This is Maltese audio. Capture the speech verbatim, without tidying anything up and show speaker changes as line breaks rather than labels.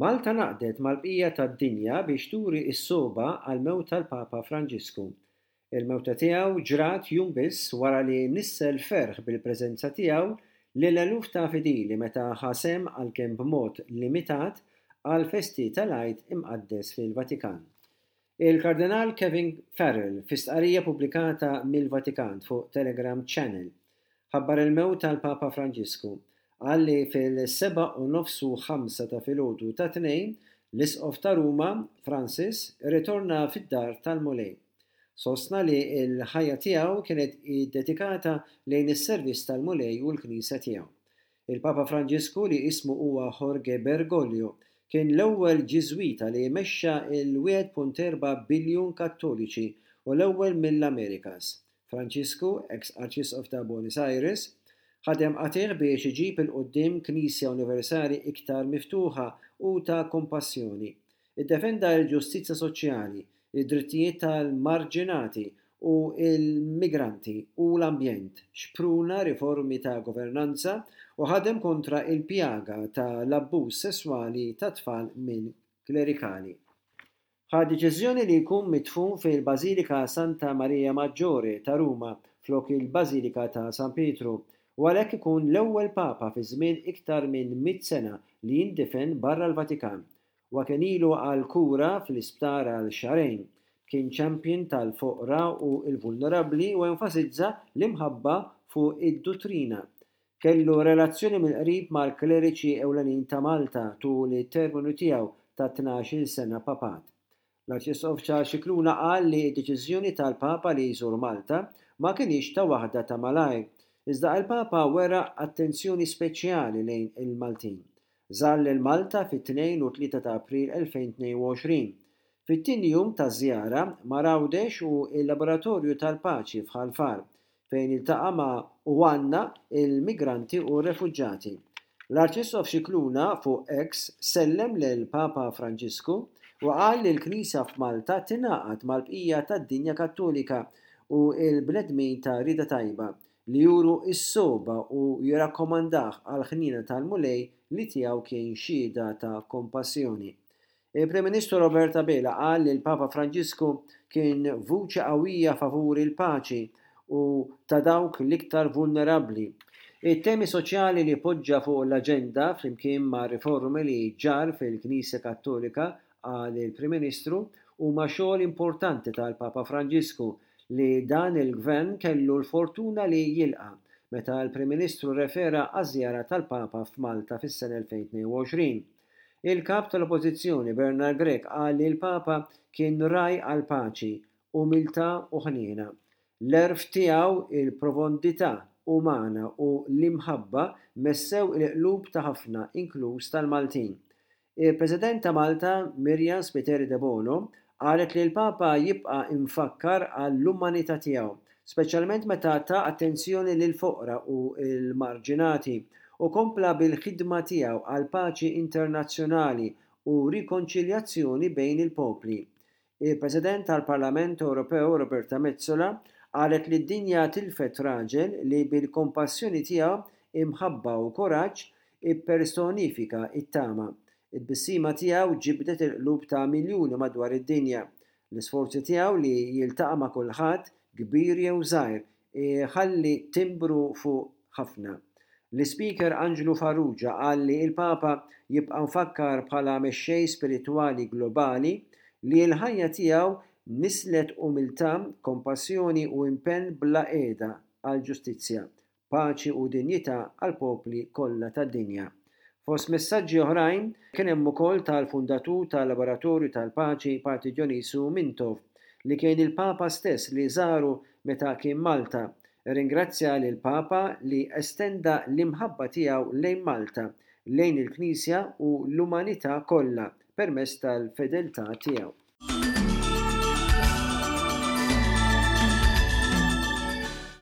Malta ngħaqdet mal-bqija tad-dinja biex turi s-sogħba għall-mewt tal-Papa Franġisku. Il-mewta tiegħu ġrat jum biss wara li nissel ferħ bil-preżenza tiegħu lil eluf ta' fidili meta ħa sehem, għalkemm b'mod limitat, għall-festi tal-Għid Imqaddes fil-Vatikan. Il-Kardinal Kevin Farrell, fi stqarrija pubblikata mill-Vatikan fuq Telegram Channel, ħabbar il-mewt tal-Papa Franġisku. Qal li fil-seba' u nofs u ħamsa ta' filgħodu tat-Tnejn, l-Isqof ta' Ruma, Francis, irritorna fid-dar tal-Mulej. Sostna li l-ħajja tiegħu kienet iddedikata lejn is-servizz tal-Mulej u l-Knisja tiegħu. Il-Papa Franġisku, li ismu huwa Jorge Bergoglio, kien l-ewwel Ġiżwita li mexxa l-wieħed punt erba' biljun Kattoliċi u l-ewwel mill-Amerikas. Franġisku, eks Arċisqof ta' Buenos Aires, ħadem qatigħ biex iġib 'il quddiem Knisja universali iktar miftuħa u ta' kompassjoni. Iddefenda l-ġustizzja soċjali, id-drittijiet tal-marġinati u l-migranti u l-ambjent, xpruna riformi ta' governanza u ħadem kontra l-pjaga ta' l-abbuż sesswali ta' tfal minn klerikali. Ħa deċiżjoni li jkun midfun fil-Bażilika Santa Maria Maggiore ta' Ruma flok il-Bażilika ta' San Pietru, u għalhekk ikun l-ewwel Papa fi żmien iktar minn mitt sena li jindifen barra l-Vatikan. Huwa kien ilu għal kura fl-isptar għal xahrejn. Kien champion tal-foqra u l-vulnerabbli u enfasizza l-imħabba fuq id-duttrina. Kellu relazzjoni mill-qrib mal-kleriċi ewlenin ta' Malta tul it-terminu tiegħu ta' tnax-il sena papat. L-Arċisqof Charles Scicluna qal li d-deċiżjoni tal-Papa li jżur Malta ma kinitx ta' waħda ta' malajr, iżda l-Papa wera attenzjoni speċjali lejn il-Maltin. Żar lil Malta fit-tnejn u tlieta ta' April elfejn tnejn u għoxrin. Fit-tieni jum taż-żjara mar Għawdex u l-Laboratorju tal-Paċi f'Ħal Far, fejn iltaqa' ma' u għanna il-migranti u r-refuġġati. L-Arċisqof Scicluna fuq X sellem lil Papa Franġisku u qal li l-Knisja f'Malta tingħaqad mal-bqija tad-dinja Kattolika u l-bnedmin ta' rieda tajba li juru s-sogħba u jirrakkomandah għall-ħniena tal-Mulej li tiegħu kien xhieda ta' kompassjoni. Il-Prim Ministru Robert Abela qal li l-Papa Franġisku kien vuċi qawwija favur il-paċi u ta' dawk l-iktar vulnerabbli. It-temi soċjali li poġġa fuq l-aġenda flimkien ma' riformi li ġar fil-Knisja Kattolika, qal il-Prim Ministru, huma xogħol importanti tal-Papa Franġisku li dan il-gvern kellu l-fortuna li jilqa' meta l-Prim Ministru refera għaż-żjara tal-Papa f'Malta fis-sena elfejn tnejn u għoxrin. Il-kap tal-Oppożizzjoni Bernard Grech qal li l-Papa kien ragħaj għall-paċi, umiltà u ħniena. L-għerf tiegħu, il-profondità umana u l-imħabba messew il-qlub ta' ħafna, inkluż tal-Maltin. Il-President ta' Malta, Myriam Spiteri Debono, qalet li l-Papa jibqa' imfakkar għall-umanità tiegħu, speċjalment meta ta attenzjoni lill-foqra u l-marġinati, u kompla bil-ħidma tiegħu għal paċi internazzjonali u rikonċiljazzjoni bejn il-popli. Il-President tal-Parlament Ewropew Roberta Metsola qalet li d-dinja tilfet raġel li bil-kompassjoni tiegħu, imħabba u kuraġġ ippersonifika t-tama. It-tbissima tiegħu ġibdet il-qlub ta' miljuni madwar id-dinja. L-isforzi tiegħu li jiltaqa' ma' kulħadd, kbir jew żgħir, iħalli timbru fuq ħafna. L-Ispeaker Anġlu Farrugia qal li l-Papa jibqa' mfakkar bħala mexxej spiritwali globali li l-ħajja tiegħu nislet umiltà, kompassjoni u impenn bla qiegħda għall-ġustizzja, paċi u dinjità għall-popli kollha tad-dinja. Fost messaġġi oħrajn kien hemm ukoll tal-fundatur tal-Laboratorju tal-Paċi Patri Dionisu Mintoff, li kien il-Papa stess li żaru meta kien Malta. Irringrazzja lill-Papa li estenda l-imħabba tiegħu lejn Malta, lejn il-Knisja u l-umanità kollha permezz tal-fedeltà tiegħu.